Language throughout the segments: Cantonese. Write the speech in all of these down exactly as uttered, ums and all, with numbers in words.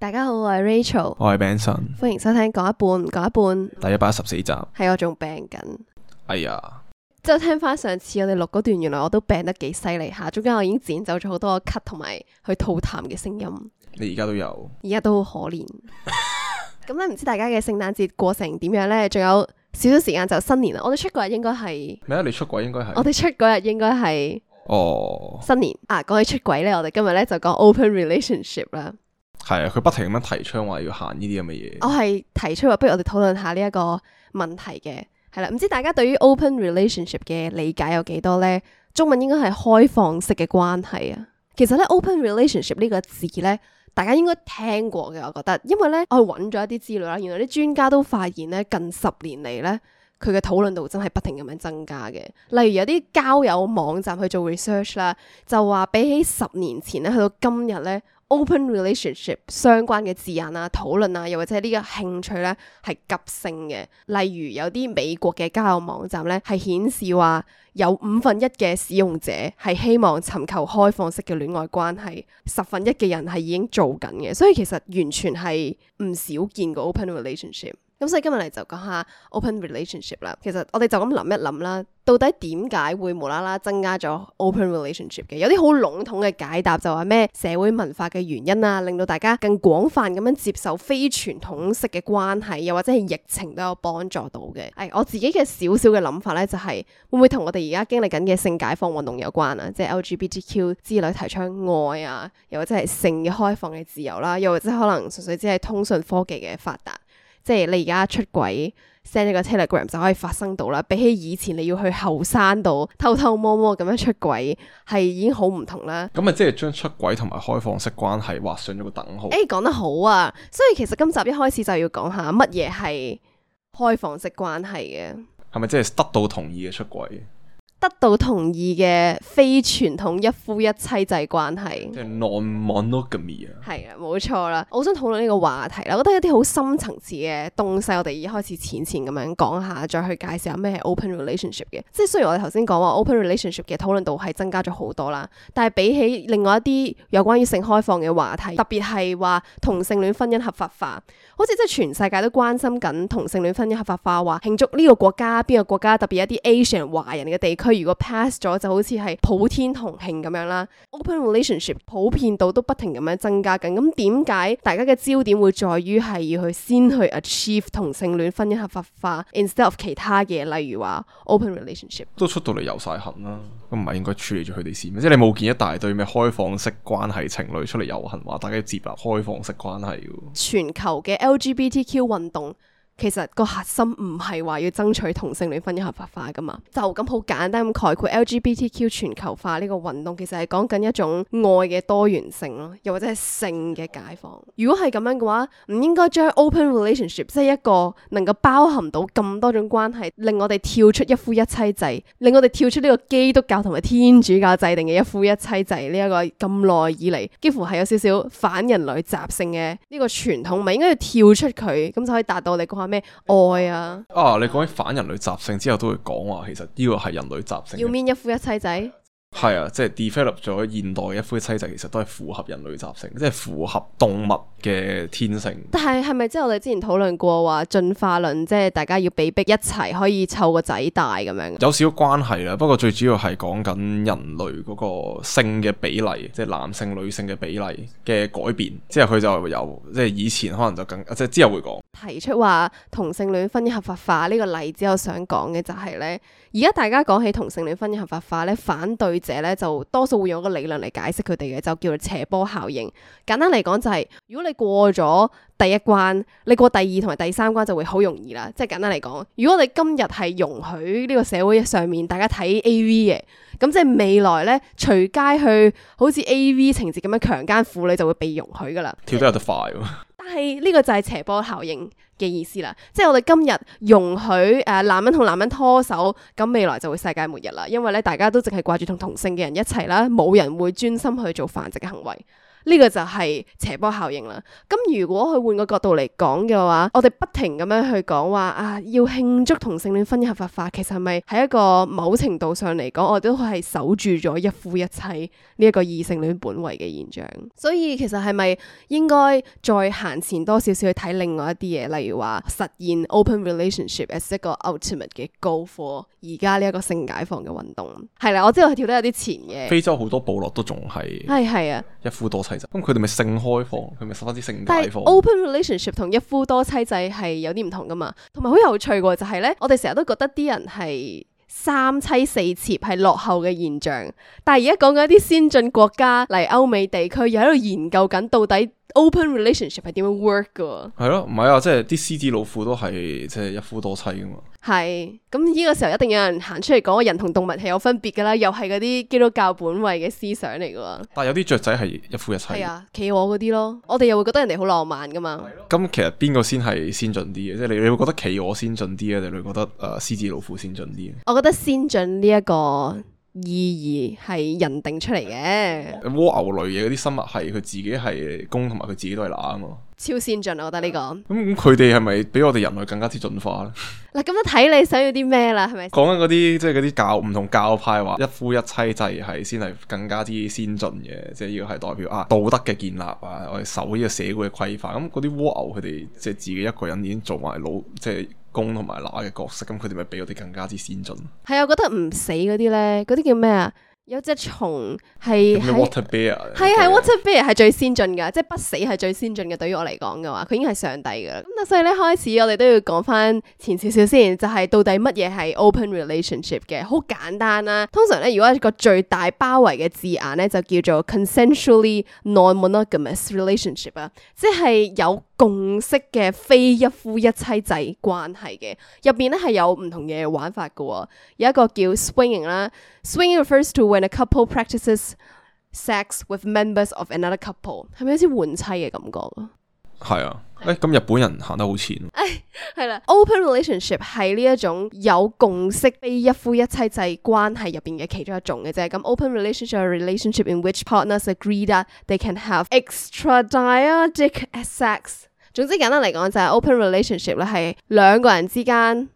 大家好，我係 Rachel，我係 Benson，歡迎收聽講一半唔講一半。第一百一十四集。係我仲病緊，哎呀，即係聽翻上次我哋錄嗰段，原來我都病得幾犀利下，中間我已經剪走咗好多咳同埋去吐痰嘅聲音，你而家都有，而家都好可憐。咁咧唔知大家嘅聖誕節過成點樣呢？仲有少少時間就新年啦。我哋出嗰日應該係咩啊？你出軌應該係我哋出嗰日應該係哦，新年啊。講起出軌呢，我哋今日咧就講 open relationship 啦。係啊，佢不停咁樣提倡話要行呢啲咁嘅嘢。我係提出話，不如我哋討論下呢一個問題嘅，係啦。唔知大家對於 open relationship 嘅理解有幾多呢？中文應該係開放式嘅關係啊。其實咧 open relationship 呢個字咧，大家應該聽過嘅，我覺得，因為咧我揾咗一啲資料啦，原來啲專家都發現咧，近十年嚟咧，佢嘅討論度真係不停咁樣增加嘅。例如有啲交友網站去做 research 啦，就話比起十年前咧，去到今日咧， open relationship 相關嘅字眼啊、討論啊，又或者呢個興趣咧係急升嘅。例如有啲美國嘅交友網站咧，係顯示話有五分一嘅使用者係希望尋求開放式嘅戀愛關係，十分一嘅人係已經做緊嘅，所以其實完全係唔少見過 open relationship。咁所以今日嚟就講下 open relationship 啦。其實我哋就咁諗一諗啦，到底點解會無啦啦增加咗 open relationship 嘅？有啲好籠統嘅解答就話咩社會文化嘅原因啊，令到大家更廣泛咁樣接受非傳統式嘅關係，又或者係疫情都有幫助到嘅。誒，我自己嘅少少嘅諗法咧，就係會唔會同我哋而家經歷緊嘅性解放運動有關啊？即係 L G B T Q 之類提倡愛啊，又或者係性嘅開放嘅自由啦，又或者可能純粹只係通訊科技嘅發達。即係你而家出軌 send 一個 Telegram 就可以發生到啦，比起以前你要去後山度偷偷摸摸咁樣出軌，係已經好唔同啦。咁咪即係將出軌同埋開放式關係畫上咗個等號。誒，講得好啊！所以其實今集一開始就要講下乜嘢係開放式關係嘅。係咪即係得到同意嘅出軌？得到同意嘅非傳統一夫一妻制關係，即係 non-monogamy 啊。係啊，冇錯啦。我想討論呢個話題啦，我覺得一啲好深層次嘅東西，我哋一開始淺淺咁樣講下，再去介紹下咩係 open relationship 嘅。即係雖然我哋頭先講話 open relationship 嘅討論度係增加咗好多啦，但係比起另外一啲有關於性開放嘅話題，特別係話同性戀婚姻合法化，好似即係全世界都關心緊同性戀婚姻合法化，話慶祝呢個國家邊個國家，特別一啲 Asian 華人嘅地區。佢如果 pass 咗，就好似係普天同慶咁樣啦。Open relationship 普遍度都不停咁樣增加緊。咁點解大家嘅焦點會在於係要去先去 achieve 同性戀婚姻合法化 ，instead of 其他嘅，例如話 open relationship 都出到嚟遊晒痕啦，咁唔係應該處理咗佢哋先咩？即係你冇見一大堆咩開放式關係情侶出嚟遊行，話大家要接納開放式關係嘅。全球嘅 L G B T Q 運動。其實個核心唔係話要爭取同性戀婚姻合法化噶嘛，就咁好簡單咁概括 L G B T Q 全球化呢個運動，其實係講緊一種愛嘅多元性咯，又或者係性嘅解放。如果係咁樣嘅話，唔應該將 open relationship 即係一個能夠包含到咁多種關係，令我哋跳出一夫一妻制，令我哋跳出呢個基督教同埋天主教制定嘅一夫一妻制呢一個咁耐以嚟，幾乎係有少少反人類習性嘅呢個傳統，咪應該要跳出佢，咁就可以達到你講咩愛啊？啊，你講起反人類習性之後，都會講話其實呢個係人類習性。要面一夫一妻制？係啊，即係 develop 咗現代一夫一妻制，其實都係符合人類習性，即係符合動物嘅天性。但係係咪即係我哋之前討論過話進化論，即係大家要被逼一齊可以湊個仔大咁樣？有少少關係啦，不過最主要係講緊人類嗰個性嘅比例，即係男性女性嘅比例嘅改變。之後佢就由即係以前可能就更，即係之後會講提出話同性戀婚姻合法化呢個例子，我想講嘅就係咧，而家大家講起同性戀婚姻合法化咧，反對者咧就多數會用一個理論嚟解釋佢哋嘅，就叫做斜坡效應。簡單嚟講就係、是，如果你過咗第一關，你過第二同埋第三關就會好容易啦。即係簡單嚟講，如果我哋今日係容許呢個社會上面大家睇 A V 嘅，咁即係未來咧隨街去好似 A V 情節咁樣強姦婦女就會被容許噶啦。跳得有得快喎。但係呢個就係斜坡效應嘅意思啦，即係我哋今日容許誒、呃、男人同男人拖手，咁未來就會世界末日啦，因為咧大家都淨係掛住同同性嘅人一齊啦，冇人會專心去做繁殖嘅行為。呢個就係斜坡效應啦。咁如果佢換個角度嚟講嘅話，我哋不停咁樣去講話啊，要慶祝同性戀婚姻合法化，其實係咪喺一個某程度上嚟講，我哋都係守住咗一夫一妻呢一個異性戀本位嘅現象？所以其實係咪應該再行前多少少去睇另外一啲嘢，例如話實現 open relationship as 一個 ultimate 嘅 goal for 而家呢一個性解放嘅運動？係啦，我知道佢跳得有啲前嘅。非洲好多部落都仲係係係啊，一夫多妻制，咁佢哋咪性開放，佢咪十分之性但係解放。open relationship 同一夫多妻制係有啲唔同噶嘛，同埋好有趣嘅就係咧，我哋成日都覺得啲人係三妻四妾係落後嘅現象，但係而家講緊一啲先進國家嚟歐美地區，又喺度研究緊到底 open relationship 係點樣 work 噶。係咯，唔係啊，即係啲獅子老虎都係即係一夫多妻噶嘛。係，咁呢個時候一定有人行出嚟講，人同動物係有分別噶啦，又係嗰啲基督教本位嘅思想嚟噶。但係有啲雀仔係一夫一妻。係啊，企鵝嗰啲咯，我哋又會覺得人哋好浪漫噶嘛。咁其實邊個先係先進啲嘅？即係你你會覺得企鵝先進啲啊，定你會覺得誒獅子老虎先進啲？我覺得先進呢一個意義係人定出嚟嘅。蝸牛類嘅嗰啲生物係佢自己係公，同埋佢自己都係乸啊嘛。超先進，我覺得呢、這個。咁咁佢哋係咪比我哋人類更加之進化咧？嗱，咁樣睇你想要啲咩啦，係咪？講緊嗰啲即係嗰啲教唔同教派話一夫一妻制係先係更加之先進嘅，即係呢個係代表啊道德嘅建立啊，我哋守呢個社會嘅規範。咁嗰啲蝸牛佢哋即係自己一個人已經做埋老即係公同埋乸嘅角色，咁佢哋咪比我哋更加之先進。係啊，我覺得唔死嗰啲咧，嗰啲叫咩啊？有隻蟲係咩 water bear 係係 water bear 係最先進噶，即係不死係最先進嘅。對於我嚟講嘅話，佢已經係上帝噶啦。咁所以咧，開始我哋都要講翻前少少先，就係、是、到底乜嘢係 open relationship 嘅？好簡單啦。通常咧，如果一個最大包圍嘅字眼咧，就叫做 consensually non-monogamous relationship 啊，即係有共識嘅非一夫一妻制關係嘅。入邊咧係有唔同嘅玩法噶，有一個叫 swinging 啦。Swinging refers to when a couple practices sex with members of another couple， 係咪好似換妻嘅感覺啊？係啊，誒咁日本人行得好前。誒係啦，open relationship 係呢一種有共識非一夫一妻制關係入邊嘅其中一種嘅啫。咁 open relationship 係 relationship in which partners agree that they can have extramarital sex。總之簡單嚟講就係 open relationship 咧係兩個人之間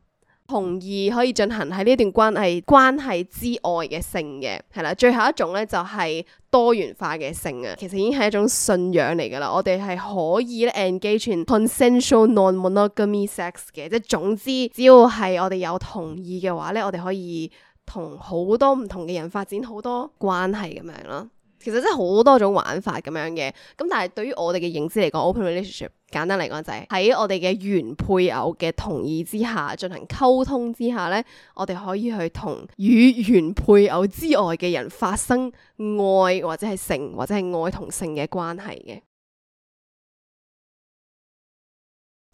同意可以進行喺呢段關係關係之外嘅性嘅，係啦。最後一種咧就係多元化嘅性啊，其實已經係一種信仰嚟噶啦。我哋係可以咧 engage in consensual non-monogamy sex 嘅，即係總之只要係我哋有同意嘅話咧，我哋可以同好多唔同嘅人發展好多關係咁樣咯。其實真係好多種玩法咁樣嘅，咁但係對於我哋嘅認知嚟講 ，open relationship 簡單嚟講就係喺我哋嘅原配偶嘅同意之下進行溝通之下咧，我哋可以去同與原配偶之外嘅人發生愛或者係性或者係愛同性嘅關係嘅。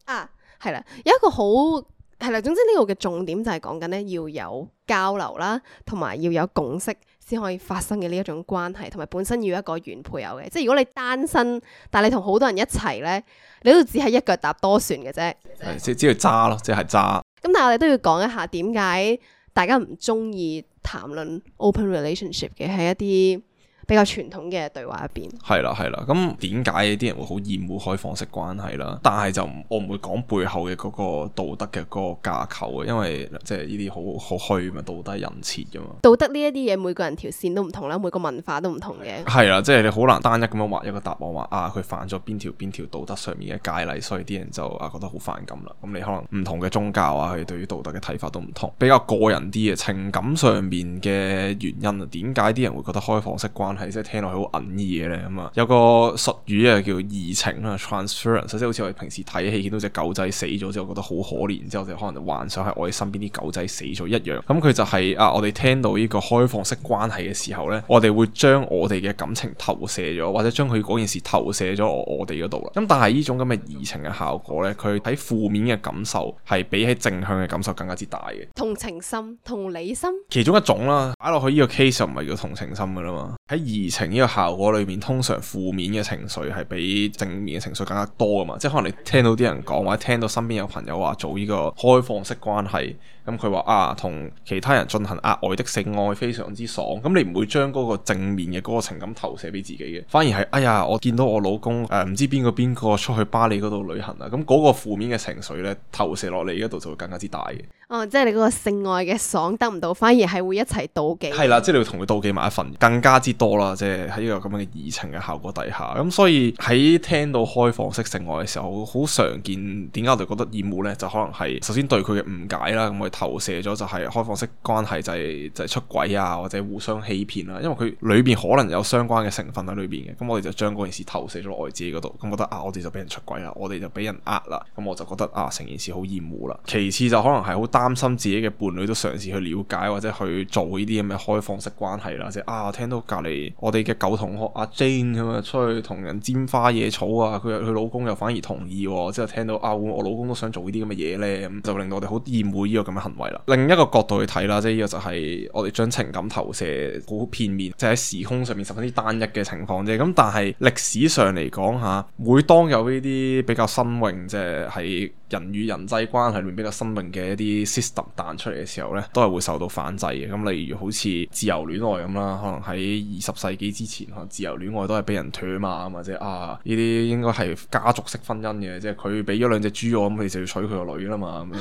啊，係啦，有一個好係啦，總之呢個嘅重點就係講緊咧要有交流啦，同埋要有共識先可以發生嘅呢一種關係，同埋本身要一個原配偶嘅。即係如果你單身，但係你同好多人一齊咧，你都只係一腳踏多船嘅啫。係即係只係揸咯，即係揸。咁但係我哋都要講一下點解大家唔中意談論 open relationship 嘅係一啲比較傳統嘅對話入邊。係啦係啦，咁點解啲人會好厭惡開放式關係啦？但係就我唔會講背後嘅嗰個道德嘅嗰個架構嘅，因為即係呢啲好好虛嘛，道德人設噶嘛。道德呢一啲嘢，每個人條線都唔同啦，每個文化都唔同嘅。係啦，即係你好難單一咁樣畫一個答案話啊，佢犯咗邊條邊條道德上面嘅戒例，所以啲人就啊覺得好反感啦。咁你可能唔同嘅宗教啊，佢對於道德嘅睇法都唔同，比較個人啲嘅情感上面嘅原因啊，點解啲人會覺得開放式關係即係聽落去好隱意嘅咧？咁啊，有個術語啊叫移情啦 ，transference， 即係好似我哋平時睇戲見到隻狗仔死咗之後覺得好可憐，之後就可能就幻想喺我哋身邊啲狗仔死咗一樣。咁佢就係、是、啊，我哋聽到呢個開放式關係嘅時候咧，我哋會將我哋嘅感情投射咗，或者將佢嗰件事投射咗我我哋嗰度啦。咁但係呢種咁嘅移情嘅效果咧，佢喺負面嘅感受係比起正向嘅感受更加之大嘅。同情心、同理心，其中一種啦，擺落去呢個 case 就唔係叫同情心噶啦嘛。喺移情呢個效果裏面，通常負面嘅情緒係比正面嘅情緒更加多噶嘛。即係可能你聽到啲人講，或者聽到身邊有朋友話做呢個開放式關係，咁佢話啊，同其他人進行額外的性愛非常之爽。咁你唔會將嗰個正面嘅嗰個情感投射俾自己嘅，反而係哎呀，我見到我老公誒唔、呃、知邊個邊個出去巴黎嗰度旅行啊，咁嗰個負面嘅情緒咧投射落嚟嗰度就會更加之大嘅。哦，即係你嗰個性愛嘅爽得唔到，反而係會一齊妒忌。係啦，即係你會同佢妒忌埋一份，更加之多啦。即係喺呢個咁樣嘅移情嘅效果底下，咁所以喺聽到開放式性愛嘅時候，好常見點解我哋覺得厭惡呢？就可能係首先對佢嘅誤解啦，咁我哋投射咗就係開放式關係就係就係出軌啊，或者互相欺騙啦。因為佢裏邊可能有相關嘅成分喺裏邊嘅，咁我哋就將嗰件事投射咗落我哋自己嗰度，咁覺得啊，我哋就俾人出軌啦，我哋就俾人呃啦，咁我就覺得啊，成件事好厭惡啦。其次就可能係好擔心自己嘅伴侶都嘗試去了解或者去做呢啲咁嘅開放式關係啦，即係啊，聽到隔離我哋嘅舊同學阿 Jane 咁啊，出去同人沾花惹草啊，佢佢老公又反而同意喎，之後聽到啊，我老公都想做呢啲咁嘅嘢咧，咁就令到我哋好厭惡呢個咁嘅行為啦。另一個角度去睇啦，即係呢個就係我哋將情感投射好片面，即係喺時空上面十分之單一嘅情況啫。咁但係歷史上嚟講嚇，每當有呢啲比較新穎，即係喺人與人際關係裏面比較新穎嘅一啲 system 彈出嚟嘅時候咧，都係會受到反制嘅。咁例如好似自由戀愛咁啦，可能喺二十世紀之前，可能自由戀愛都係俾人唾罵，或者啊呢啲應該係家族式婚姻嘅，即係佢俾咗兩隻豬我，咁你就要娶佢個女啦嘛咁樣。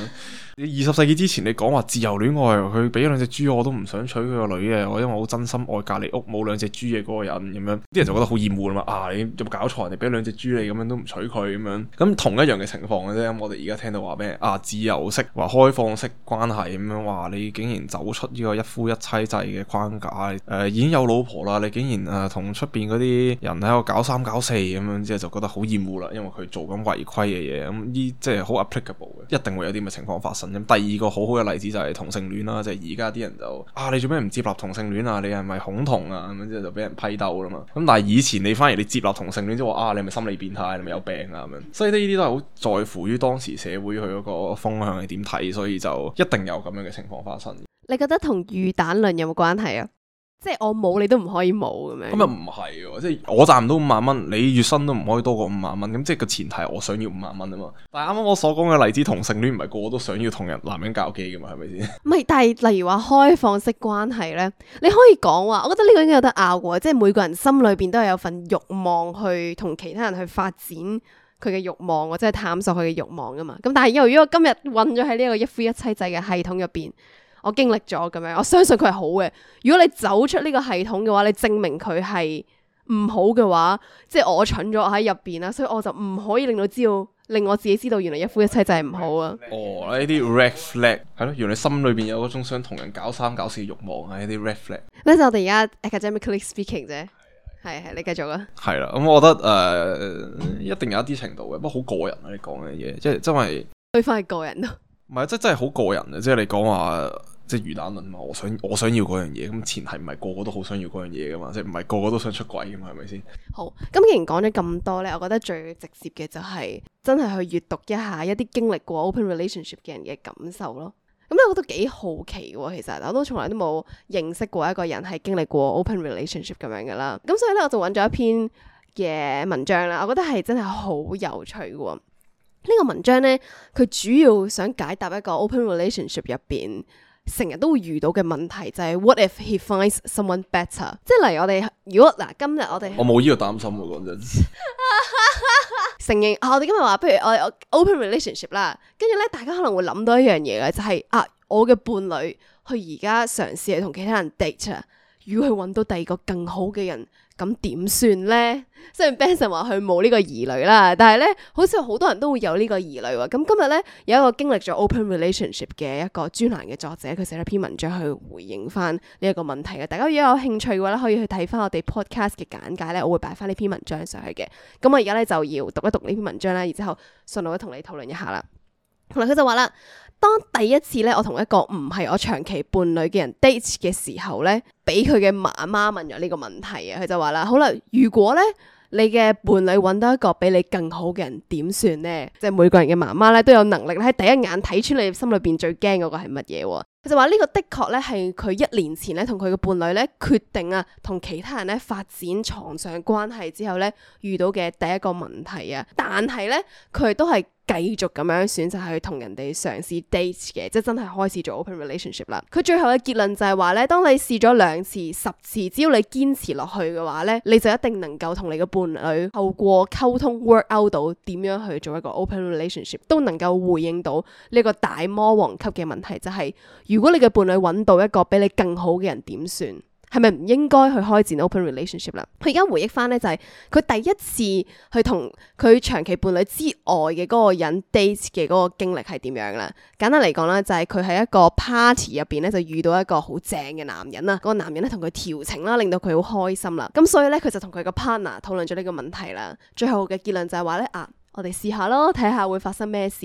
你二十世紀之前你講話自由戀愛，佢俾咗兩隻豬我都唔想娶佢個女嘅，我因為我好真心愛隔離屋冇兩隻豬嘅嗰個人咁樣，啲人就覺得好厭惡啦嘛。啊，你有冇搞錯？人哋俾兩隻豬你咁樣都唔娶佢咁樣，咁同一樣嘅情況嘅啫。咁我哋而家聽到話咩啊自由式話開放式關係咁樣，話你竟然走出呢個一夫一妻制嘅框架，誒、呃、已經有老婆啦，你竟然誒同出邊嗰啲人喺度搞三搞四咁樣，之後就覺得好厭惡啦，因為佢做緊違規嘅嘢，咁呢即係好 applicable 嘅，一定會有啲咁嘅情況發生。咁第二個好好嘅例子就係同性戀啦，即係而家啲人就啊你做咩唔接納同性戀啊？你係咪恐同啊？咁樣之後就俾人批鬥啦嘛。咁但係以前你反而你接納同性戀，即係話啊你係咪心理變態？你係咪有病啊？咁樣，所以呢啲都係好在乎於當時社會佢嗰個風向係點睇，所以就一定有咁樣嘅情況發生。你覺得同魚蛋論有冇關係啊？即係我冇你都唔可以冇咁樣。咁又唔係喎，即係我賺唔到五萬蚊，你月薪都唔可以多過五萬蚊。咁即係個前提係我想要五萬蚊啊嘛。但係啱啱我所講嘅例子，同性戀唔係個個都想要同人男人交機噶嘛，係咪先？唔係，但係例如話開放式關係咧，你可以講話，我覺得呢個應該有得拗嘅，即係每個人心裏邊都係有份慾望去同其他人去發展佢嘅慾望，或者係探索佢嘅慾望噶嘛。咁但係因為如果我今日混咗喺呢一個一夫一妻制嘅系統入邊，我經歷咗咁樣，我相信佢係好嘅。如果你走出呢個系統嘅話，你證明佢係唔好嘅話，即係我蠢咗，我喺入邊啦，所以我就唔可以令到知道，令我自己知道原來一夫一妻制係唔好啊。哦，呢啲 red flag 係咯，原來心裏邊有嗰種想同人搞三搞四嘅慾望啊，呢啲 red flag。呢就我哋而家 academically speaking 啫，係係你繼續啊。係啦，咁、嗯、我覺得誒、呃，一定有一啲程度嘅，不過好個人啊，你講嘅嘢，即係真係對翻係個人咯。唔係，即係真係好個人啊！即係你講話，即係魚蛋論嘛，我想我想要嗰樣嘢，咁前提唔係個個都好想要嗰樣嘢噶嘛，即係唔係個個都想出軌噶嘛，係咪先？好，咁既然講咗咁多咧，我覺得最直接嘅就係真係去閱讀一下一啲經歷過 open relationship 嘅人嘅感受咯。咁咧我都幾好奇嘅，其實我都從來都冇認識過一個人係經歷過 open relationship 咁樣噶啦。咁所以咧我就揾咗一篇嘅文章啦，我覺得係真係好有趣嘅。呢個文章咧，佢主要想解答一個 open relationship 入邊成日都會遇到嘅問題，就係、是、what if he finds someone better？ 即係例如我哋如果嗱今日我哋我冇呢個擔心喎，講真。承認啊，我哋今日話，不如我哋 open relationship 啦，跟住咧大家可能會諗到一樣嘢嘅，就係、是、啊我嘅伴侶佢而家嘗試去同其他人 date 啊，如果佢揾到第二個更好嘅人，咁點算咧？雖然 Benson 話佢冇呢個疑慮啦，但係咧，好似好多人都會有呢個疑慮喎。咁今日咧有一個經歷咗 open relationship 嘅一個專欄嘅作者，佢寫咗篇文章去回應翻呢一個問題嘅。大家如果有興趣嘅話咧，可以去睇翻我哋 podcast 嘅簡介咧，我會擺翻呢篇文章上去嘅。咁我而家咧就要讀一讀呢篇文章啦，然之後順路咧同你討論一下啦。嗱，佢就話啦，當第一次咧我同一個唔係我長期伴侶嘅人 date 嘅時候咧，俾佢嘅媽媽問咗呢個問題啊。佢就話啦，好啦，如果咧你嘅伴侶揾到一個比你更好嘅人點算呢？即係每個人嘅媽媽咧都有能力喺第一眼睇穿你心裏邊最驚嗰個係乜嘢喎？佢就話呢個的確咧係佢一年前咧同佢嘅伴侶咧決定啊同其他人咧發展床上關係之後咧遇到嘅第一個問題啊，但係咧佢都係繼續咁樣選擇去同人哋嘗試 date 嘅，即係真係開始做 open relationship 啦。佢最後嘅結論就係話咧，當你試咗兩次、十次，只要你堅持落去嘅話咧，你就一定能夠同你嘅伴侶透過溝通 work out 到點樣去做一個 open relationship， 都能夠回應到呢個大魔王級嘅問題，就係如果你嘅伴侶揾到一個比你更好嘅人點算？係咪唔應該去開展 open relationship 啦？佢而家回憶翻咧就係佢第一次去同佢長期伴侶之外嘅嗰個人 date 嘅嗰個經歷係點樣啦？簡單嚟講啦，就係佢喺一個 party 入邊咧就遇到一個好正嘅男人啦，嗰個男人咧同佢調情啦，令到佢好開心啦。咁所以咧佢就同佢個 partner 討論咗呢個問題啦。最後嘅結論就係話咧啊。我哋試下咯，睇下會發生咩事。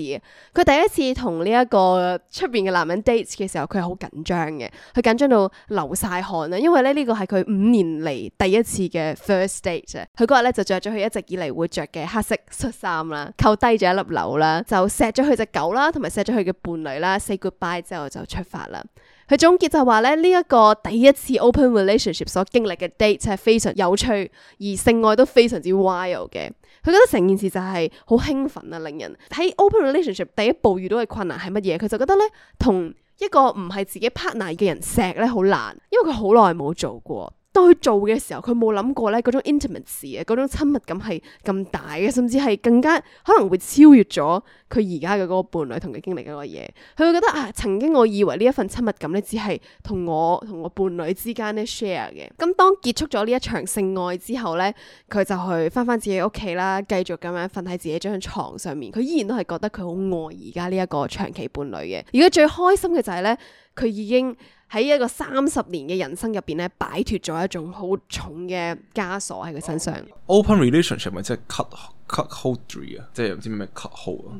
佢第一次同呢一個出邊嘅男人 date 嘅時候，佢係好緊張嘅，佢緊張到流晒汗啊！因為咧呢個係佢五年嚟第一次嘅 first date 啊。佢嗰日咧就着咗佢一直以嚟會着嘅黑色恤衫啦，扣低咗一粒紐啦，就錫咗佢隻狗啦，同埋錫咗佢嘅伴侶啦 ，say goodbye 之後就出發啦。佢總結就話咧，呢、這、一個第一次 open relationship 所經歷嘅 date 係非常有趣，而性愛都非常之 wild 嘅。佢覺得成件事就係好興奮啊，令人喺 open relationship 第一步遇到嘅困難係乜嘢？佢就覺得咧，同一個唔係自己 partner 嘅人錫咧好難，因為佢好耐冇做過。當佢做嘅時候，佢冇諗過咧嗰種 intimacy 啊，嗰種親密感係咁大嘅，甚至係更加可能會超越咗佢而家嘅嗰個伴侶同佢經歷嗰個嘢。佢會覺得啊，曾經我以為呢一份親密感咧，只係同我同我伴侶之間咧 share 嘅。咁當結束咗呢一場性愛之後咧，佢就去翻翻自己屋企啦，繼續咁樣瞓喺自己張床上面。佢依然都係覺得佢好愛而家呢一個長期伴侶嘅。而佢最開心嘅就係咧，佢已經喺一個三十年嘅人生入邊咧，擺脫咗一種好重嘅枷鎖喺佢身上。Open relationship 咪即係 cut cut hold 啊，即係唔知咩咩 cut hold 啊。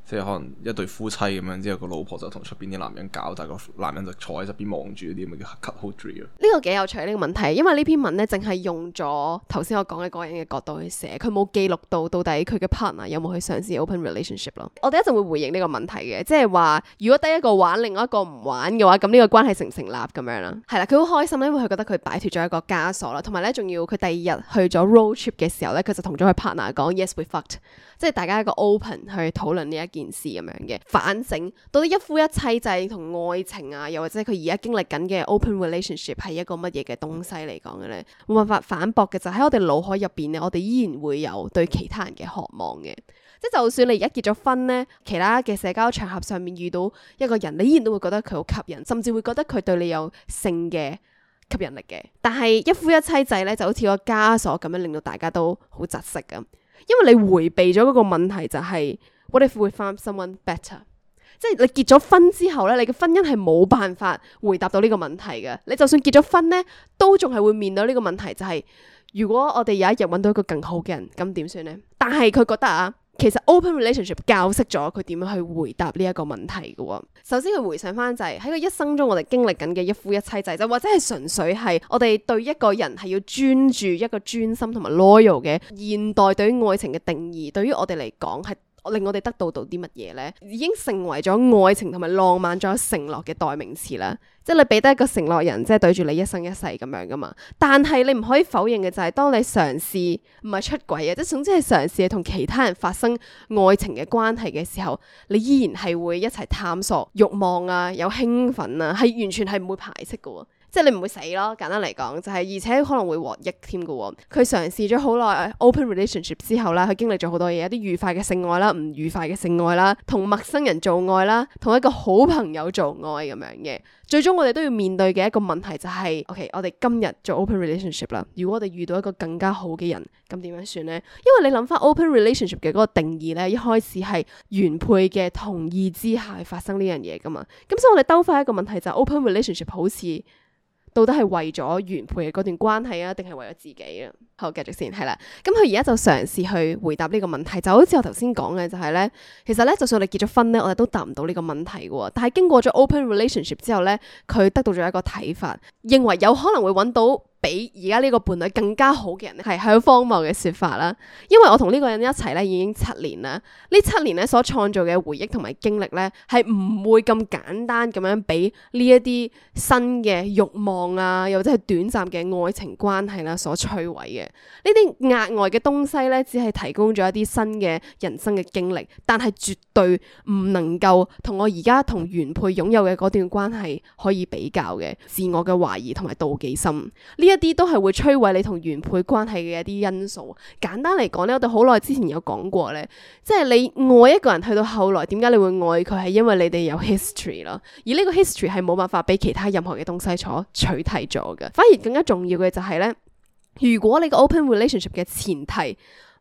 即係可能一對夫妻咁樣，之後個老婆就同出邊啲男人搞，但係個男人就坐喺側邊望住嗰啲咁嘅叫 cut hold tree 咯。呢個幾有趣呢、呢個問題，因為呢篇文咧淨係用咗頭先我講嘅嗰個人嘅角度去寫，佢冇記錄到到底佢嘅 partner 有冇去嘗試 open relationship 咯。我哋一陣會回應呢個問題嘅，即係話如果得一個玩，另外一個唔玩嘅話，咁呢個關係成唔成立咁樣啦？係啦，佢好開心因為佢覺得佢擺脫咗一個枷鎖啦，同埋咧仲要佢第二日去咗 road trip 嘅時候咧，佢就同咗佢 partner 講 yes we fucked， 即係大家一個 open 去討論呢一件事咁樣嘅。反省到底一夫一妻制同愛情啊，又或者佢而家經歷緊嘅 open relationship 係一個乜嘢嘅東西嚟講嘅咧？冇辦法反駁嘅就喺我哋腦海入邊咧，我哋依然會有對其他人嘅渴望嘅。即係就算你而家結咗婚咧，其他嘅社交場合上面遇到一個人，你依然都會覺得佢好吸引，甚至會覺得佢對你有性嘅吸引力嘅。但係一夫一妻制咧，就好似個枷鎖咁樣，令到大家都好窒息咁，因為你回避咗嗰個問題就係、是。What if we found someone better？ 即係你結咗婚之後咧，你嘅婚姻係冇辦法回答到呢個問題嘅。你就算結咗婚咧，都仲係會面對呢個問題，就係、是、如果我哋有一日揾到一個更好嘅人，咁點算咧？但係佢覺得啊，其實 open relationship 教識咗佢點樣去回答呢一個問題嘅。首先佢回想翻就係喺佢一生中我哋經歷緊嘅一夫一妻制，就或者係純粹係我哋對一個人係要專注一個專心同埋 loyal 嘅現代對於愛情嘅定義，對於我哋嚟講係令我哋得到到啲乜嘢咧？已經成為咗愛情同埋浪漫仲有承諾嘅代名詞啦。即係你俾得一個承諾人，即係對住你一生一世咁樣噶嘛。但係你唔可以否認嘅就係，當你嘗試唔係出軌啊，即係總之係嘗試同其他人發生愛情嘅關係嘅時候，你依然係會一齊探索慾望啊，有興奮啊，係完全係唔會排斥噶。即係你唔會死咯，簡單嚟講就係，而且可能會獲益添嘅喎。佢嘗試咗好耐 open relationship 之後啦，佢經歷咗好多嘢，一啲愉快嘅性愛啦，唔愉快嘅性愛啦，同陌生人做愛啦，同一個好朋友做愛咁樣嘅。最終我哋都要面對嘅一個問題就係 ，OK， 我哋今日做 open relationship 啦。如果我哋遇到一個更加好嘅人，咁點樣算呢？因為你諗翻 open relationship 嘅嗰個定義咧，一開始係原配嘅同意之下發生呢樣嘢噶嘛。咁所以我哋兜翻一個問題就係 open relationship 好似到底係為咗原配嘅嗰段關係啊，定係為咗自己啊？好，繼續先，係啦。咁佢而家就嘗試去回答呢個問題，就好似我頭先講嘅，就係咧，其實咧，就算我哋結咗婚咧，我哋都答唔到呢個問題嘅。但係經過咗 open relationship 之後咧，佢得到咗一個睇法，認為有可能會揾到比而家呢個伴侶更加好嘅人咧，係好荒謬嘅說法啦。因為我同呢個人一齊咧已經七年啦，呢七年咧所創造嘅回憶同埋經歷咧，係唔會咁簡單咁樣俾呢一啲新嘅慾望啊，又或者係短暫嘅愛情關係啦所摧毀嘅。呢啲額外嘅東西咧，只係提供咗一啲新嘅人生嘅經歷，但係絕對唔能夠同我而家同原配擁有嘅嗰段關係可以比較嘅。自我嘅懷疑同埋妒忌心，呢一啲都係會摧毀你同原配關係嘅一啲因素。簡單嚟講咧，我哋好耐之前有講過咧，即係你愛一個人去到後來，點解你會愛佢？係因為你哋有 history 咯，而呢個 history 係冇辦法俾其他任何嘅東西所取替咗嘅。反而更加重要嘅就係咧，如果你個 open relationship 嘅前提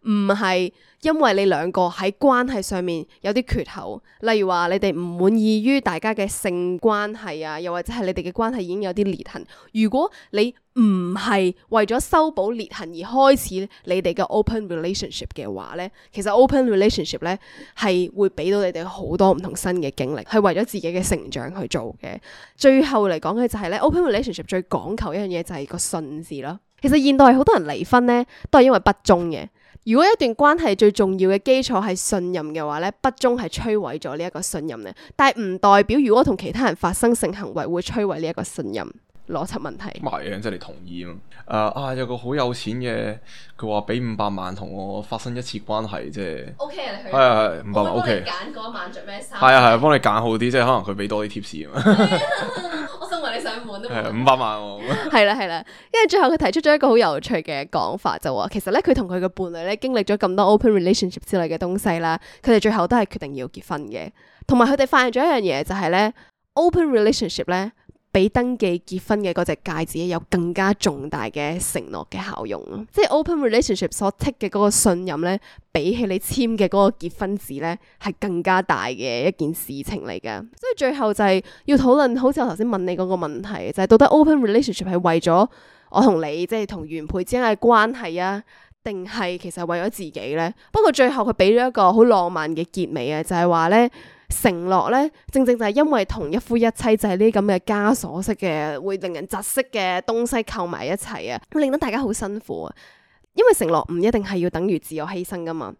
唔係因為你兩個喺關係上面有啲缺口，例如話你哋唔滿意於大家嘅性關係啊，又或者係你哋嘅關係已經有啲裂痕。如果你唔係為咗修補裂痕而開始你哋嘅 open relationship 嘅話咧，其實 open relationship 咧係會俾到你哋好多唔同新嘅經歷，係為咗自己嘅成長去做嘅。最後嚟講嘅就係咧 open relationship 最講求一樣嘢就係個信字咯。其實現代好多人離婚咧都係因為不忠嘅。如果一段關係最重要嘅基礎係信任嘅話咧，不忠係摧毀咗呢一個信任咧，但係唔代表如果同其他人發生性行為會摧毀呢一個信任。邏輯問題。咁係嘅，即係你同意啊嘛？誒啊，有個好有錢嘅，佢話俾五百萬同我發生一次關係，即係 O K 啊，你去係係係五百萬 O K。揀嗰晚着咩衫？係啊係啊，幫你揀好啲，即係可能佢俾多啲 tips 啊嘛。我想問你上門都係五百萬喎。係啦係啦，因為最後佢提出咗一個好有趣嘅講法，就話其實咧佢同佢嘅伴侶咧經歷咗咁多 open relationship 之類嘅東西啦，佢哋最後都係決定要結婚嘅。同埋佢哋發現咗一樣嘢，就係咧 open relationship 咧，比登記結婚嘅嗰隻戒指有更加重大嘅承諾嘅效用咯，即係 open relationship 所 take 嘅嗰個信任咧，比起你簽嘅嗰個結婚紙咧，係更加大嘅一件事情嚟噶。所以最後就係要討論，好似我頭先問你嗰個問題，就係到底 open relationship 係為咗我同你，即係同原配之間嘅關係啊，定係其實為咗自己咧？不過最後佢俾咗一個好浪漫嘅結尾啊，就係話咧。承諾咧，正正就係因為同一夫一妻制呢啲咁嘅枷鎖式嘅，會令人窒息嘅東西扣埋一齊啊，會令到大家好辛苦啊。因為承諾唔一定係要等於自我犧牲噶嘛，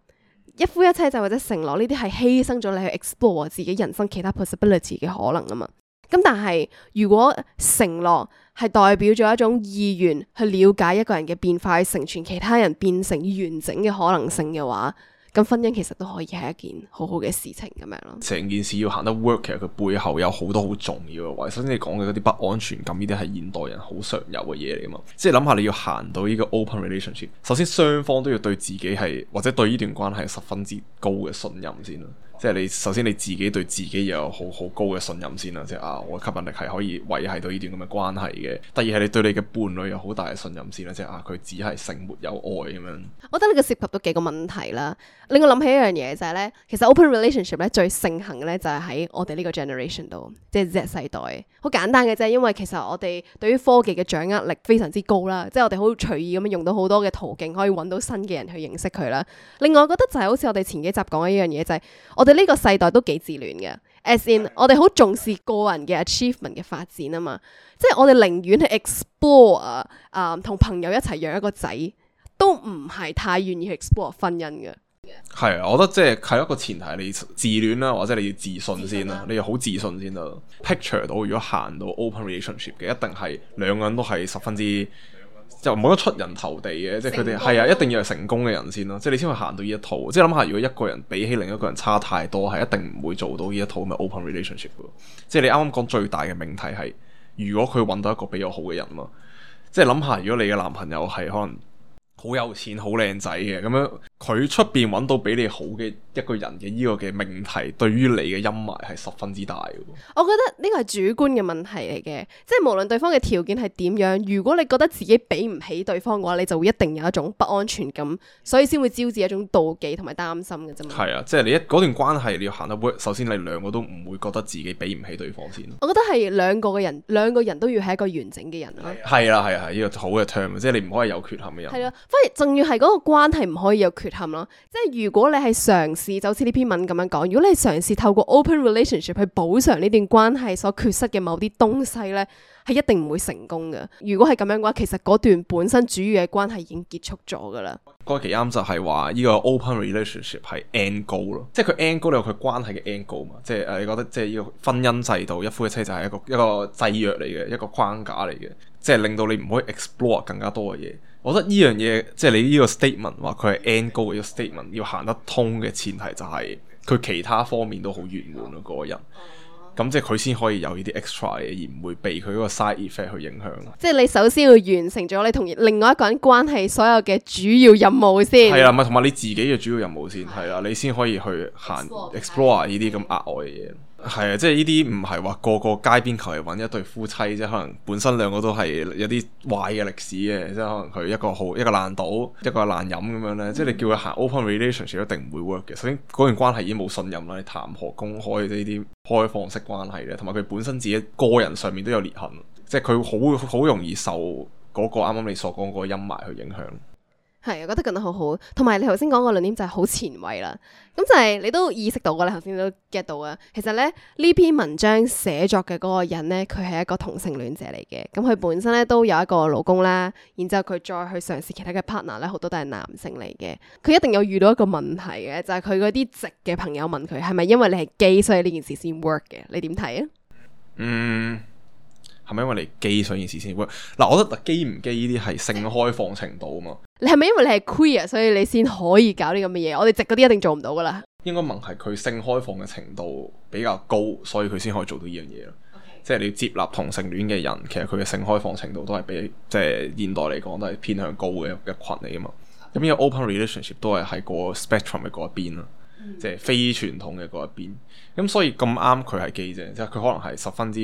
一夫一妻制或者承諾呢啲係犧牲咗你去 explore 自己人生其他 possibility 嘅可能啊嘛。咁但係如果承諾係代表咗一種意願去了解一個人嘅變化，去成全其他人變成完整嘅可能性嘅話，咁婚姻其實都可以係一件好好嘅事情咁樣咯。成件事要行得 work， 其實佢背後有好多好重要嘅位。首先你講嘅嗰啲不安全感，呢啲係現代人好常有嘅嘢嚟噶嘛。即係諗下你要行到呢個 open relationship，首先雙方都要對自己係或者對呢段關係十分之高嘅信任先啦。即係你首先你自己對自己又有好好高嘅信任先啦，即係啊我吸引力係可以維繫到呢段咁嘅關係嘅。第二係你對你嘅伴侶有好大嘅信任先啦，即係啊佢只係性沒有愛咁樣。我覺得呢個涉及到幾個問題啦，令我諗起一樣嘢就係咧，其實 open relationship 咧最盛行嘅咧就係喺我哋呢個 generation 度，即係 Z 世代。好簡單嘅啫，因為其實我哋對於科技嘅掌握力非常之高啦，即係我哋好隨意咁樣用到好多嘅途徑可以揾到新嘅人去認識佢啦。另外我覺得就係好似我哋前幾集講嘅一樣嘢，就係我哋呢個世代都幾自戀嘅 ，as in 我哋好重視個人嘅 achievement 嘅發展啊嘛，即係我哋寧願去 explore 啊、呃，同朋友一齊養一個仔，都唔係太願意去 explore 婚姻嘅。係啊，我覺得即係係一個前提，你自戀啦，或者你要自信先啦，你要好自信先啦。picture 到如果行到 open relationship 嘅，一定係兩個人都係十分之。就冇得出人頭地嘅，即係佢哋係啊，一定要係成功嘅人先咯，即係你先會行到呢一套。即係諗下，如果一個人比起另一個人差太多，係一定唔會做到呢一套咁嘅 open relationship 嘅。即係你啱啱講最大嘅命題係，如果佢揾到一個比較好嘅人嘛，即係諗下，如果你嘅男朋友係可能好有錢、好靚仔嘅咁樣，佢出邊揾到比你好嘅一個人嘅呢個嘅命題，對於你嘅陰霾係十分之大嘅。我覺得呢個係主觀嘅問題嚟嘅，即係無論對方嘅條件係點樣，如果你覺得自己比唔起對方嘅話，你就會一定有一種不安全感，所以先會招致一種妒忌同埋擔心嘅啫嘛。係啊，即係你一嗰段關係你要行得 work，首先你兩個都唔會覺得自己比唔起對方先。我覺得係兩個嘅人，兩個人都要係一個完整嘅人咯。係啦，係啊，係呢個好嘅 term，即係你唔可以有缺陷嘅人。係啊，反而仲要係嗰個關係唔可以有缺陷陷咯。即係如果你係嘗試，就好似呢篇文咁樣講，如果你係嘗試透過 open relationship 去補償呢段關係所缺失嘅某啲東西咧，係一定唔會成功嘅。如果係咁樣嘅話，其實嗰段本身主要嘅關係已經結束咗噶啦。嗰期啱就係話呢個 open relationship 係 end goal 咯，即係佢 end goal 有佢關係嘅 end goal 嘛，即係誒你覺得即係呢個婚姻制度一夫一妻就係一個一個制約嚟嘅，一個框架嚟嘅，即係令到你唔可以 explore 更加多嘅嘢。我覺得呢樣嘢即係你呢個 statement 話佢係 end goal 嘅 statement 要行得通嘅前提就係佢其他方面都好圓滿咯，嗰個人。咁即係佢先可以有呢啲 extra 嘅，而唔會被佢嗰個 side effect 去影響。即係你首先要完成咗你同另外一個人關係所有嘅主要任務先。係啦，咪同埋你自己嘅主要任務先係啦，你先可以去行 explore 呢啲咁額外嘅嘢。係啊，即係呢啲唔係話個個街邊求其揾一對夫妻，即係可能本身兩個都係有啲壞嘅歷史嘅，即係可能佢一個好一個爛賭，一個爛飲咁樣咧。嗯、即係你叫佢行 open relationship 一定唔會 work 嘅。首先嗰段關係已經冇信任啦，你談何公開呢啲開放式關係咧？同埋佢本身自己個人上面都有裂痕，即係佢好好容易受嗰個啱啱你所講嗰個陰霾去影響。係，我覺得講得好好，同埋你頭先講個論點就係好前衛啦。咁就係你都意識到㗎，你頭先都 get 到啊。其實咧呢篇文章寫作嘅嗰個人咧，佢係一個同性戀者嚟嘅。咁佢本身咧都有一個老公啦，然之後佢再去嘗試其他嘅 partner 咧，好多都係男性嚟嘅。佢一定有遇到一個問題嘅，就係佢嗰啲直嘅朋友問佢係咪因為你係基所以呢件事先 work 嘅？你點睇啊？嗯。係咪因為你基所以件事先 work？嗱，我覺得基唔基呢啲係性開放程度啊嘛。你係咪因為你係 queer 所以你先可以搞啲咁嘅嘢？我哋直嗰啲一定做唔到噶啦。應該問係佢性開放嘅程度比較高，所以佢先可以做到呢樣嘢咯。Okay. 即係你要接納同性戀嘅人，其實佢嘅性開放程度都係比即係現代嚟講都係偏向高嘅一群嚟噶嘛。咁呢個 open relationship 都係喺個 spectrum 嘅嗰一邊啦。即係非傳統嘅嗰一邊，咁所以咁啱佢係基啫，即係佢可能係十分之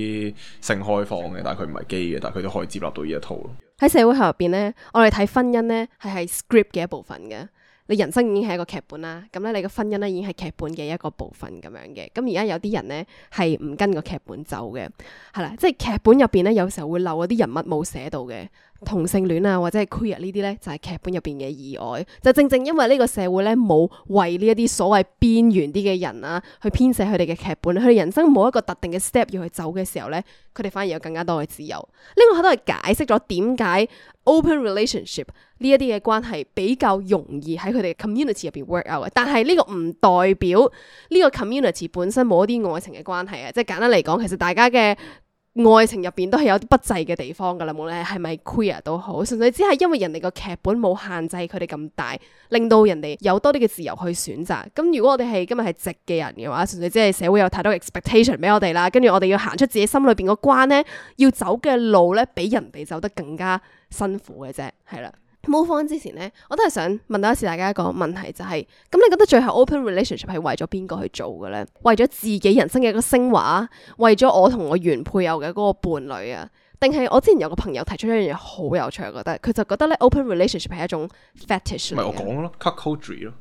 性開放嘅，但係佢唔係基嘅，但係佢都可以接納到呢一套咯。喺社會學入邊咧，我哋睇婚姻咧係係 script 嘅一部分嘅，你人生已經係一個劇本啦，咁咧你嘅婚姻咧已經係劇本嘅一個部分咁樣嘅。咁而家有啲人咧係唔跟個劇本走嘅，係啦，即係劇本入邊咧有時候會漏嗰啲人物冇寫到嘅。同性戀啊，或者係 queer 呢啲咧，就係劇本入邊嘅意外。就正正因為呢個社會咧冇為呢一啲所謂邊緣啲嘅人啊，去編寫佢哋嘅劇本，佢哋人生冇一個特定嘅 step 要去走嘅時候咧，佢哋反而有更加多嘅自由。呢個都係解釋咗點解 open relationship 呢一啲嘅關係比較容易喺佢哋嘅 community 入邊 work out 嘅。但係呢個唔代表呢個 community 本身冇一啲愛情嘅關係啊。即係簡單嚟講，其實大家嘅愛情入邊都係有啲不濟嘅地方噶啦，無論係咪 queer 都好，純粹只係因為人哋個劇本冇限制佢哋咁大，令到人哋有多啲嘅自由去選擇。咁如果我哋係今日係直嘅人嘅話，純粹只係社會有太多 expectation 俾我哋啦，跟住我哋要行出自己心裏邊個關咧，要走嘅路咧，比人哋走得更加辛苦嘅啫，係啦。Move on之前咧，我都係想問多一次大家一個問題，就係、是、咁你覺得最後 open relationship 係為咗邊個去做嘅咧？為咗自己人生嘅一個升華，為咗我同我原配偶嘅嗰個伴侶啊？定係我之前有個朋友提出一樣嘢好有趣，我覺得佢就覺得咧 open relationship 係一種 fetish 嚟嘅。咪我講咯 cuckoldry 咯，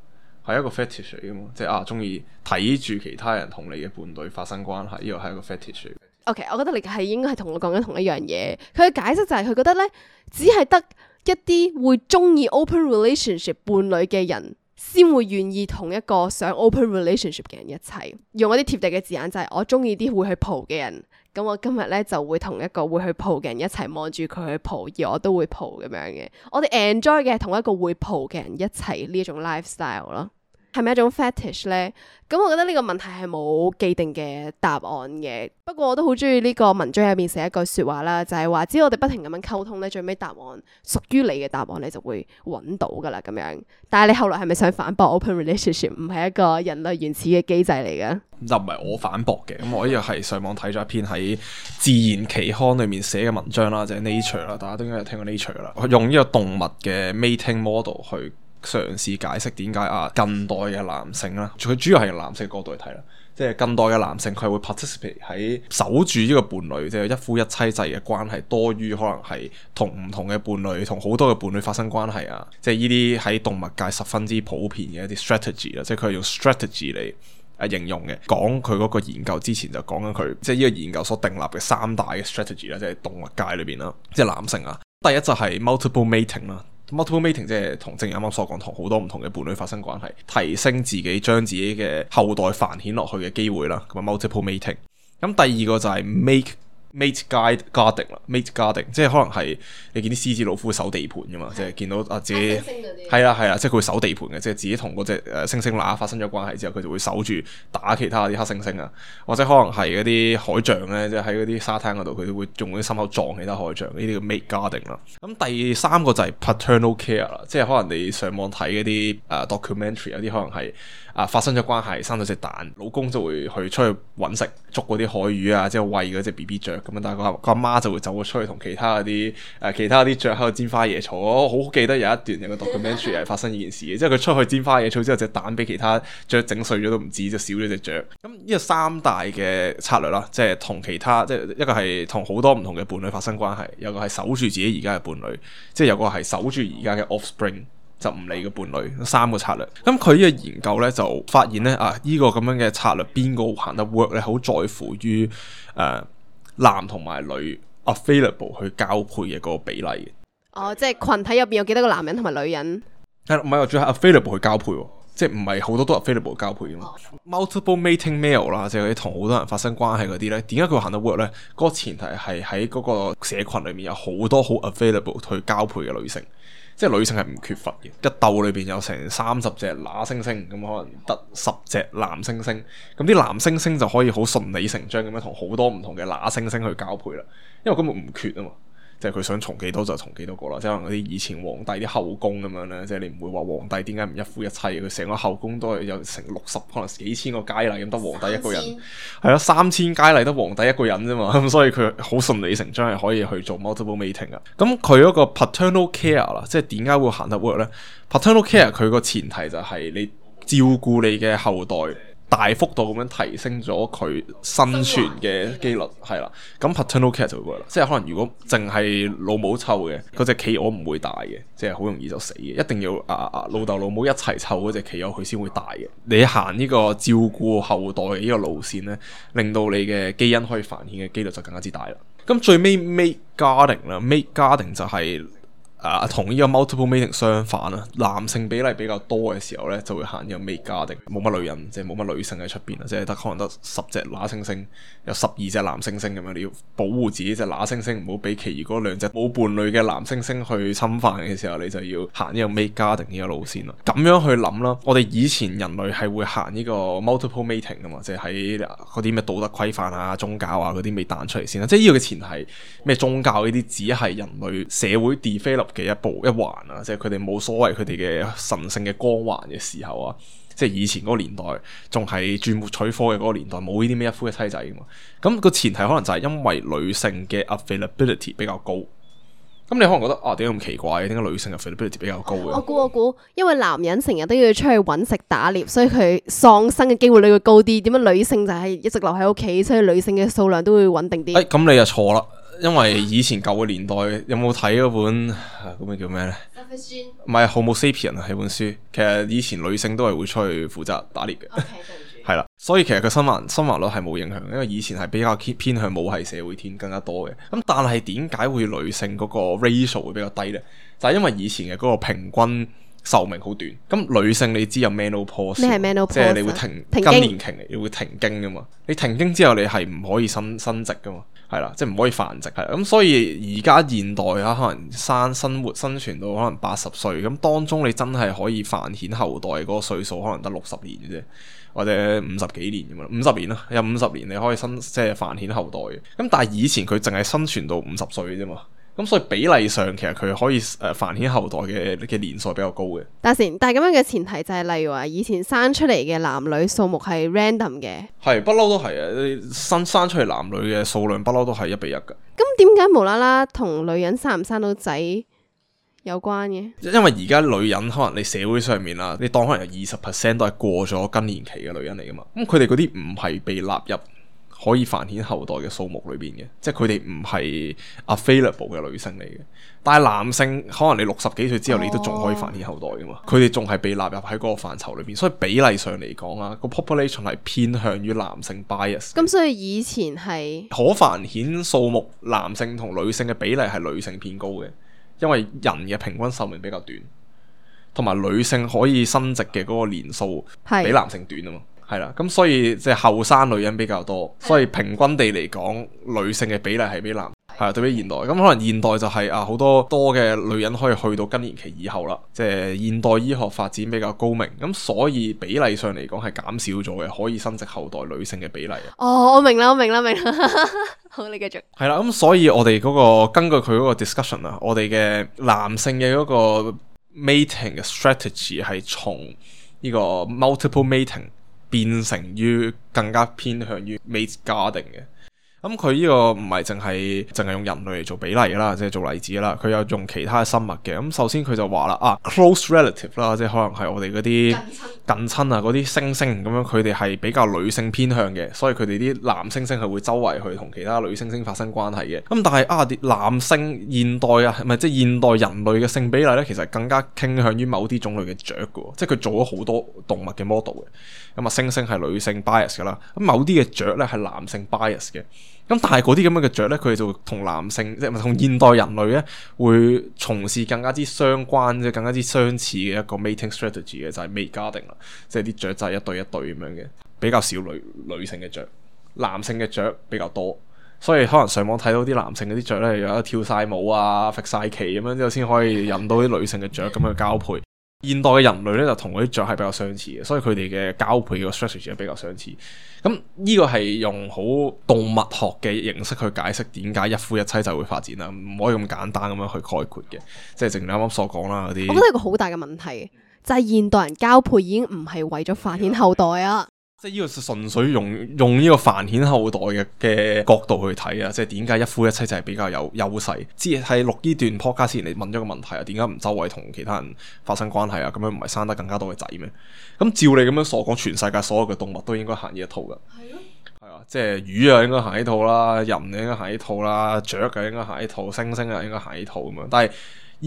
係一個 fetish 嚟嘅嘛，即係啊中意睇住其他人同你嘅伴侶發生關係，呢個係一個 fetish 嚟嘅。OK， 我覺得你係應該係同我講緊同一樣嘢。佢嘅解釋就係佢覺得咧，只係得一啲會中意 open relationship 伴侶嘅人，先會願意同一個想 open relationship 嘅人一齊。用一啲貼地嘅字眼就係、是、我中意啲會去蒲嘅人，咁我今日咧就會同一個會去蒲嘅人一齊望住佢去蒲，而我都會蒲咁樣嘅。我哋 enjoy 嘅係同一個會蒲嘅人一齊呢一種 lifestyle 咯。係咪一種 fetish 咧？咁我覺得呢個問題係冇既定嘅答案嘅。不過我都好中意呢個文章入面寫一句說話啦，就係話只要我哋不停咁樣溝通咧，最尾答案屬於你嘅答案，你就會揾到噶啦咁樣。但係你後來係咪想反駁 open relationship 唔係一個人類原始嘅機制嚟嘅？就唔係我反駁嘅。咁我呢個係上網睇咗一篇喺自然期刊裏面寫嘅文章啦，就係 Nature 啦，大家都應該有聽過 Nature 啦。用呢個動物嘅 mating model 去嘗試解釋點解啊近代嘅男性啦，佢主要係男性角度嚟睇啦，即係近代嘅男性佢係會 participate 喺守住呢個伴侶，即係一夫一妻制嘅關係，多於可能係同唔同嘅伴侶，同好多嘅伴侶發生關係啊，即係呢啲喺動物界十分之普遍嘅一啲 strategy 啦，即係佢係用 strategy 嚟誒形容嘅。講佢嗰個研究之前就講緊佢，即係呢個研究所訂立嘅三大嘅 strategy 啦，即係動物界裏邊啦，即係男性啊，第一就係 multiple mating 啦。multiple mating 即係同正如啱啱所講，同好多唔同嘅伴侶發生關係，提升自己將自己嘅後代繁衍落去嘅機會啦。咁啊 multiple mating。咁第二個就係 make mate guide guarding 啦 ，mate guarding 即係可能係你見啲獅子老虎會守地盤噶嘛，即係見到啊自己係啦係啦，即係佢會守地盤嘅，即係自己同嗰隻誒猩猩乸發生咗關係之後，佢就會守住打其他啲黑猩猩啊，或者可能係嗰啲海象咧，即係喺嗰啲沙灘嗰度，佢哋會用啲心口撞其他海象，呢啲叫 mate guarding 啦。咁第三個就係 paternal care 啦，即係可能你上網睇嗰啲誒 documentary 有啲可能係。啊！發生咗關係，生咗隻蛋，老公就會去出去揾食，捉嗰啲海魚啊，即係餵嗰隻 B B 雀咁樣。但係個個阿媽就會走咗出去同其他嗰啲誒其他啲雀喺度煎花椰草。我好記得有一段有個 documentary 係發生呢件事嘅，即係佢出去煎花椰草之後，隻蛋俾其他雀整碎咗都唔知，就少咗隻雀。咁呢個三大嘅策略啦，即係同其他即係一個係同好多唔同嘅伴侶發生關係，有個係守住自己而家嘅伴侶，即係有個係守住而家嘅 offspring。就唔理嘅伴侶，三個策略。咁佢呢個研究咧就發現咧啊，呢、這個咁樣嘅策略邊個行得 work 咧，好在乎於誒、呃、男同埋女 available 去交配嘅嗰個比例嘅。哦，即係群體入邊有幾多個男人同埋女人？係唔係話主要係 available 去交配，即係唔係好多都 available 交配嘅嘛、哦、？Multiple mating male 啦，即係嗰啲同好多人發生關係嗰啲咧，點解佢會行得 work 咧？嗰、那個前提係喺嗰個社群裏面有好多好 available 去交配嘅女性。即係女性係唔缺乏嘅，一竇裏邊有成三十隻乸猩猩，咁可能得十隻男猩猩，咁啲男猩猩就可以好順理成章咁樣同好多唔同嘅乸猩猩去交配啦，因為根本唔缺啊嘛，即係佢想從幾多就從幾多個啦，即係可能嗰啲以前皇帝啲後宮咁樣咧，即係你唔會話皇帝點解唔一夫一妻，佢成個後宮都係有成六十可能幾千個佳麗咁，得皇帝一個人，係咯，三千佳麗得皇帝一個人啫嘛，咁所以佢好順理成章係可以去做 multiple mating 啊。咁佢嗰個 paternal care 啦，即係點解會行得 work 咧 ？paternal care 佢個前提就係你照顧你嘅後代。大幅度咁樣提升咗佢生存嘅機率，係啦。咁 paternal care 就會啦，即係可能如果淨係老母湊嘅嗰隻企鵝唔會大嘅，即係好容易就死嘅。一定要啊啊老豆老母一齊湊嗰隻企鵝佢先會大嘅。你行呢個照顧後代嘅呢個路線咧，令到你嘅基因可以繁衍嘅機率就更加之大啦。咁最尾 mate guarding 啦 ，mate guarding 就係、是。啊，同呢個 multiple mating 相反啦，男性比例比較多嘅時候咧，就會行呢個 mate guarding，冇乜女人，即係冇乜女性喺出邊啊，即係得可能得十隻乸猩猩，有十二隻男猩猩咁樣，你要保護自己隻乸猩猩，唔好俾其餘嗰兩隻冇伴侶嘅男猩猩去侵犯嘅時候，你就要行呢個 mate guarding 呢個路線啦。咁樣去諗啦，我哋以前人類係會行呢個 multiple mating 噶嘛，即係喺嗰啲咩道德規範啊、宗教啊嗰啲未彈出嚟先啦。即係呢個嘅前提，咩宗教呢啲只係人類社會 develop嘅一步一環啊，即係佢哋冇所謂佢哋嘅神聖嘅光環嘅時候啊，即係以前嗰個年代仲係鑽木取火嘅嗰個年代，冇呢啲咩一夫一妻制噶嘛。咁個前提可能就係因為女性嘅 availability 比較高。咁你可能覺得啊，點解咁奇怪？點解女性嘅 availability 比較高嘅？我估我估，因為男人成日都要出去揾食打獵，所以佢喪生嘅機會率會高啲。點解女性就係一直留喺屋企，所以女性嘅數量都會穩定啲？誒，咁你就錯啦。因為以前舊嘅年代有冇睇嗰本嗰本叫咩咧？唔係《Homo Sapien》啊，係本書。其實以前女性都係會出去負責打獵嘅。係啦，所以其實佢生還生還率係冇影響，因為以前係比較偏向母系社會添更加多嘅。咁但係點解會女性嗰個 ratio 會比較低咧？就係因為以前嘅嗰個平均壽命好短。咁女性你知有 menopause， 咩係 menopause？ 即係你會停更年期，你會停經噶嘛？你停經之後你係唔可以生生殖噶嘛？係啦，即係唔可以繁殖，係啦，咁所以而家現代啊，可能生生活生存到可能八十歲，咁當中你真係可以繁衍後代嗰個歲數可能得六十年嘅啫，或者五十幾年咁樣，五十年啦，有五十年你可以生即係繁衍後代嘅，咁但係以前佢淨係生存到五十歲啫嘛。咁所以比例上其實佢可以誒繁衍後代嘅嘅年數比較高嘅。但係但係咁樣嘅前提就係例如話以前生出嚟嘅男女數目係 random 嘅，係不嬲都係啊！你生生出嚟男女嘅數量不嬲都係一比一㗎。咁點解無啦啦同女人生唔生到仔有關嘅？因為而家女人可能你社會上面啦，你當可能有二十 percent 都係過咗更年期嘅女人嚟㗎嘛。咁佢哋嗰啲唔係被納入可以繁衍後代嘅數目裏邊嘅，即係佢哋唔係 available 嘅女性嚟嘅。但係男性可能你六十幾歲之後，你都仲可以繁衍後代噶嘛？佢哋仲係被納入喺嗰個範疇裏邊，所以比例上嚟講啊，個 population 係偏向於男性 bias。咁所以以前係可繁衍數目男性同女性嘅比例係女性偏高嘅。因為人嘅平均壽命比較短，同埋女性可以生殖嘅嗰個年數比男性短啊嘛。係啦，咁所以即係後生女人比較多，所以平均地嚟講，女性嘅比例係比男係啊，對比現代。咁可能現代就係、是、啊好多多嘅女人可以去到更年期以後啦，即係現代醫學發展比較高明，咁所以比例上嚟講係減少咗嘅，可以生殖後代女性嘅比例。哦，我明啦，我明啦，明啦。好，你繼續。係啦，咁所以我哋嗰、那個根據佢嗰個 discussion 啊，我哋嘅男性嘅嗰個 mating 嘅 strategy 係從呢個 multiple mating 變成於更加偏向於 mate guarding 嘅。咁佢呢個唔係淨係淨係用人類嚟做比例啦，即係做例子啦。佢有用其他嘅生物嘅。咁首先佢就話啦，啊 close relative 啦，即係可能係我哋嗰啲近親啊，嗰啲猩猩咁樣，佢哋係比較女性偏向嘅，所以佢哋啲男猩猩係會周圍去同其他女猩猩發生關係嘅。咁但係啊，啲男性現代啊，唔係即係現代人類嘅性比例咧，其實更加傾向於某啲種類嘅雀嘅，即係佢做咗好多動物嘅 model 嘅。咁啊，猩猩係女性 bias 噶啦，咁某啲嘅雀咧係男性 bias 嘅。咁但係嗰啲咁樣嘅雀咧，佢哋就同男性即係咪同現代人類咧，會從事更加之相關即係更加之相似嘅一個 mating strategy 嘅，就係 mate guarding 啦，即係啲雀仔一對一對咁樣嘅，比較少女女性嘅雀，男性嘅雀比較多，所以可能上網睇到啲男性嗰啲雀咧，有得跳晒舞啊、揈晒旗咁樣之後先可以引到啲女性嘅雀咁樣交配。現代嘅人類咧就同嗰啲雀係比較相似嘅，所以佢哋嘅交配嘅 strategy 係比較相似。咁呢個係用好動物學嘅形式去解釋點解一夫一妻就會發展啦，唔可以咁簡單咁樣去概括嘅。即係正如你啱啱所講啦，嗰啲。我覺得有個好大嘅問題，就係、是、現代人交配已經唔係為咗繁衍後代啊。即係呢個純粹用用呢個繁衍後代嘅嘅角度去睇啊，即係點解一夫一妻就係比較有優勢？之係錄呢段 podcast 前你問咗個問題啊，點解唔周圍同其他人發生關係啊？咁樣唔係生得更加多嘅仔咩？咁照你咁樣所講，全世界所有嘅動物都應該行呢一套噶。係咯。係啊，即係魚啊應該行呢套啦，人啊應該行呢套啦，雀啊應該行呢套，猩猩啊應該行呢套咁樣。但係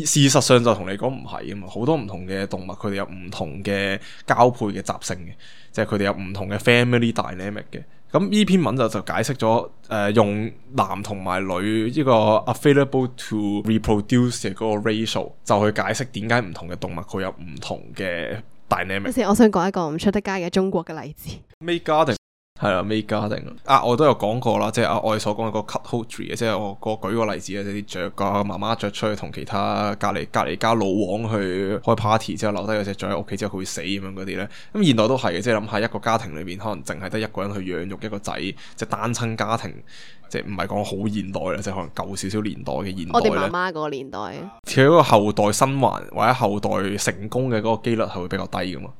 事實上就同你講唔係啊嘛，好多唔同嘅動物佢哋有唔同嘅交配嘅習性嘅。即係佢哋有唔同嘅 family dynamic 嘅，咁呢篇文就就解釋咗誒、呃、用男同埋女呢個 available to reproduce 嘅嗰個 ratio， 就去解釋點解唔同嘅動物佢有唔同嘅 dynamic。先，我想講一個唔出得街嘅中國嘅例子。Mate guarding 係啦，mate guarding啊，我都有講過啦，即係啊我哋所講嘅個 cuckoldry 嘅，即係我個舉個例子啊，即係啲雀個媽媽雀出去同其他隔離隔離家老王去開 party 之後留低嗰隻雀喺屋企之後佢會死咁樣嗰啲咧，咁現代都係嘅，即係諗下一個家庭裏邊可能淨係得一個人去養育一個仔，即係單親家庭，即係唔係講好現代啦，即係可能舊少少年代嘅現代咧。我哋媽媽嗰個年代，佢嗰個後代生還或者後代成功嘅嗰個機率係會比較低噶嘛。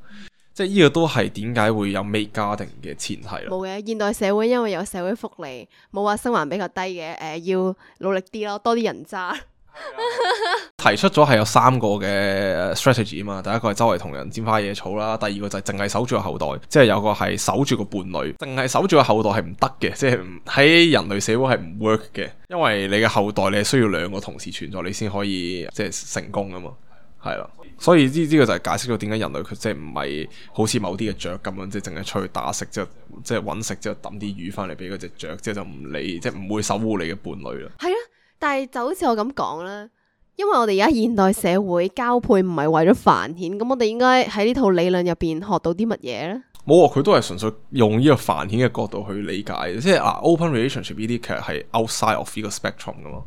即係呢個都係點解會有 mate guarding 嘅前提啦。冇嘅，現代社會因為有社會福利，冇話生還比較低嘅，誒、呃、要努力啲咯，多啲人渣。提出咗係有三個嘅 strategy 啊嘛，第一個係周圍同人拈花惹草啦，第二個就係淨係守住個後代，即係有個係守住個伴侶，淨係守住個後代係唔得嘅，即係喺人類社會係唔 work 嘅，因為你嘅後代你係需要兩個同時存在，你先可以即係成功啊嘛。係啦，所以呢呢個就係解釋咗點解人類佢即係唔係好似某啲嘅雀咁樣，即係淨係出去打食之後，即係揾食之後抌啲魚翻嚟俾嗰隻雀，即係就唔理，即係唔會守護你嘅伴侶啦。係啊，但係就好似我咁講啦，因為我哋而家現代社會交配唔係為咗繁衍，咁我哋應該喺呢套理論入邊學到啲乜嘢咧？冇啊，佢都係純粹用呢個繁衍嘅角度去理解，即係啊 open relationship 呢啲其實係 outside of 呢個 spectrum 噶嘛，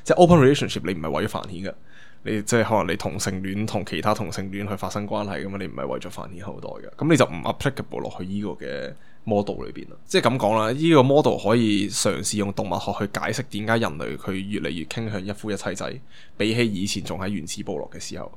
即係 open relationship 你唔係為咗繁衍噶。你即係可能你同性戀同其他同性戀去發生關係咁嘛，你唔係為咗繁衍後代嘅，咁你就唔 applicable 落去呢個嘅 model 裏邊啦。即係咁講啦，呢個 model 可以嘗試用動物學去解釋點解人類佢越嚟越傾向一夫一妻制，比起以前仲喺原始部落嘅時候。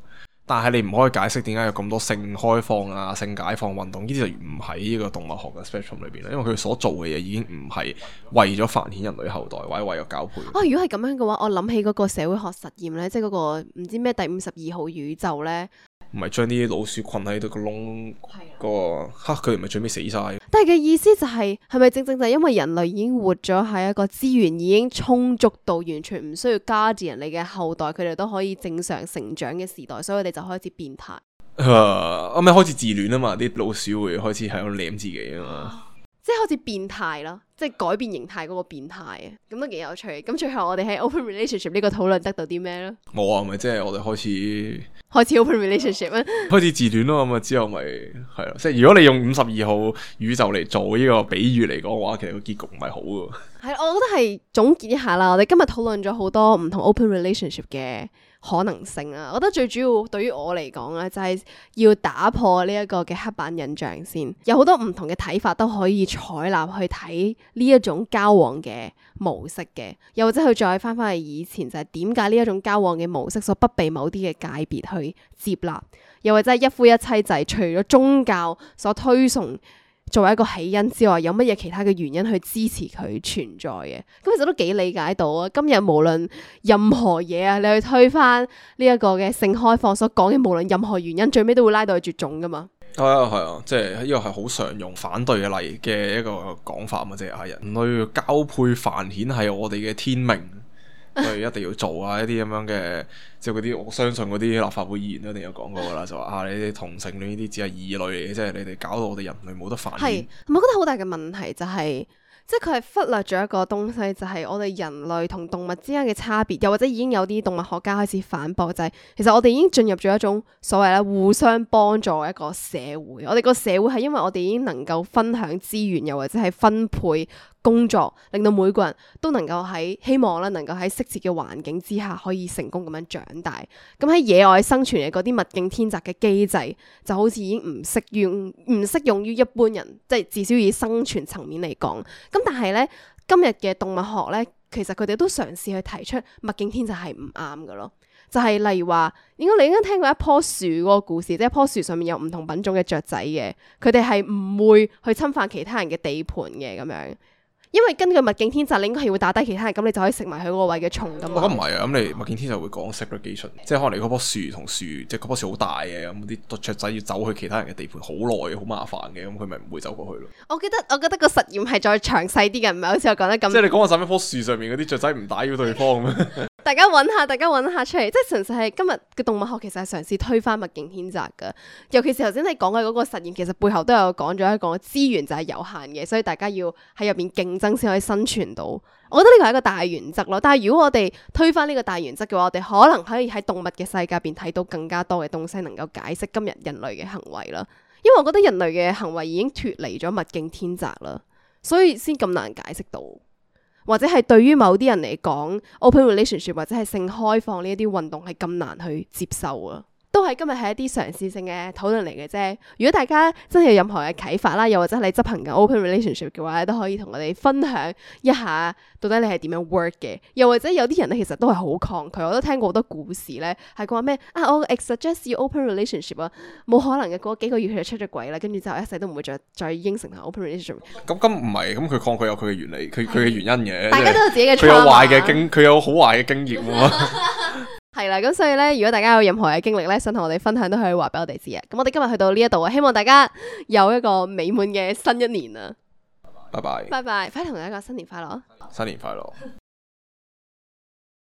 但係你唔可以解釋點解有咁多性開放啊、性解放運動呢啲就唔喺呢個動物學嘅 spectrum 裏邊啦，因為佢所做嘅嘢已經唔係為咗繁衍人類後代或者為咗交配。啊，如果係咁樣嘅話，我諗起嗰個社會學實驗咧，即係嗰個唔知咩第五十二號宇宙咧。唔係將啲老鼠困喺度個窿，嗰個嚇佢哋咪最尾死晒。但係嘅意思就係係咪正正就係因為人類已經活咗喺一個資源已經充足到完全唔需要加住人哋嘅後代，佢哋都可以正常成長嘅時代，所以佢哋就開始變態。啊，咁咪開始自戀啊嘛，啲老鼠會開始喺度舐自己啊嘛。即係好似變態咯，即係改變形態嗰個變態啊，咁都幾有趣。咁最後我哋喺 open relationship 呢個討論得到啲咩咧？冇啊，咪即係我哋開始開始 open relationship 啊，開始自戀咯，咁啊之後咪係咯，即係如果你用五十二號宇宙嚟做呢個比喻嚟講嘅話，其實個結局唔係好嘅。係，我覺得係總結一下啦。我哋今日討論咗好多唔同 open relationship 嘅可能性啊。我覺得最主要對於我嚟講咧，就係要打破呢一個嘅刻板印象先。有好多唔同嘅睇法都可以採納去睇呢一種交往嘅模式嘅，又或者去再翻翻去以前，就係點解呢一種交往嘅模式所不被某啲嘅界別去接納，又或者係一夫一妻制，除咗宗教所推崇作為一個起因之外，有乜嘢其他嘅原因去支持佢存在嘅？咁其實都幾理解到啊。今日無論任何嘢啊，你去推翻呢一個嘅性開放所講嘅，無論任何原因，最尾都會拉到去絕種噶嘛。係啊係啊，即係呢個係好常用反對嘅例嘅一個講法嘛，即係啊人類交配繁衍係我哋嘅天命。所以一定要做啊！一啲咁樣嘅，即係嗰啲我相信嗰啲立法會議員都一定有講過噶啦，就話啊，你哋同性戀呢啲只係異類嚟嘅，即係你哋搞到我哋人類冇得繁衍。係，我覺得好大嘅問題就係、是，即係佢係忽略咗一個東西，就係、是、我哋人類同動物之間嘅差別，又或者已經有啲動物學家開始反駁，就係、是、其實我哋已經進入咗一種所謂咧互相幫助嘅一個社會。我哋個社會係因為我哋已經能夠分享資源，又或者係分配工作，令到每個人都能夠喺希望咧，能夠喺適切嘅環境之下可以成功咁樣長大。咁喺野外生存嘅嗰啲物競天擇嘅機制，就好似已經唔適用唔適用於一般人，即係至少以生存層面嚟講。咁但係咧，今日嘅動物學咧，其實佢哋都嘗試去提出物競天擇係唔啱㗎咯。就係、是、例如話，應該你應該聽過一棵樹嗰個故事，即係一棵樹上面有唔同品種嘅雀仔嘅，佢哋係唔會去侵犯其他人嘅地盤嘅咁樣。因為根據物競天擇，你應該係會打低其他人，咁你就可以食埋佢嗰個位嘅蟲噶嘛。我覺得唔係啊，咁你物競天擇會講 segregation，即係可能你嗰棵樹同樹，即係嗰棵樹好大嘅，咁啲雀仔要走去其他人嘅地盤好耐，好麻煩嘅，咁佢咪唔會走過去咯。我記得我覺得個實驗係再詳細啲嘅，唔係好似我講得咁。即係你講話喺一棵樹上面嗰啲雀仔唔打擾對方咩？大家揾下，大家揾下出嚟，即係純粹係今日嘅動物學其實係嘗試推翻物競天擇㗎。尤其是頭先你講嘅嗰個實驗，其實背後都有講咗一個資源就係有限嘅，所以大家要喺入邊競爭先可以生存到。我覺得呢個係一個大原則咯。但係如果我哋推翻呢個大原則嘅話，我哋可能可以喺動物嘅世界入邊睇到更加多嘅東西，能夠解釋今日人類嘅行為啦。因為我覺得人類嘅行為已經脫離咗物競天擇啦，所以先咁難解釋到。或者係對於某啲人嚟講 open relationship 或者係性開放呢一啲運動係咁難去接受啊，都係今日係一啲嘗試性嘅討論嚟嘅啫。如果大家真係有任何嘅啟發啦，又或者你執行緊 open relationship 嘅話，都可以同我哋分享一下到底你係點樣 work 嘅。又或者有啲人咧，其實都係好抗拒。我都聽過好多故事咧，係講話咩啊，我 suggest 要 open relationship 啊，冇可能嘅，過幾個月佢就出咗軌啦，跟住之後一世都唔會再再應承同 open relationship。咁咁唔係，咁佢抗拒有佢嘅原理，佢佢嘅原因嘅。大家都有自己嘅，佢有壞嘅經，佢有好壞嘅經驗啊嘛。係啦，咁所以咧，如果大家有任何嘅經歷咧，想同我哋分享，都可以話俾我哋知啊。咁我哋今日去到呢一度啊，希望大家有一個美滿嘅新一年啊！拜拜，拜拜，快啲同大家講新年快樂啊！新年快樂。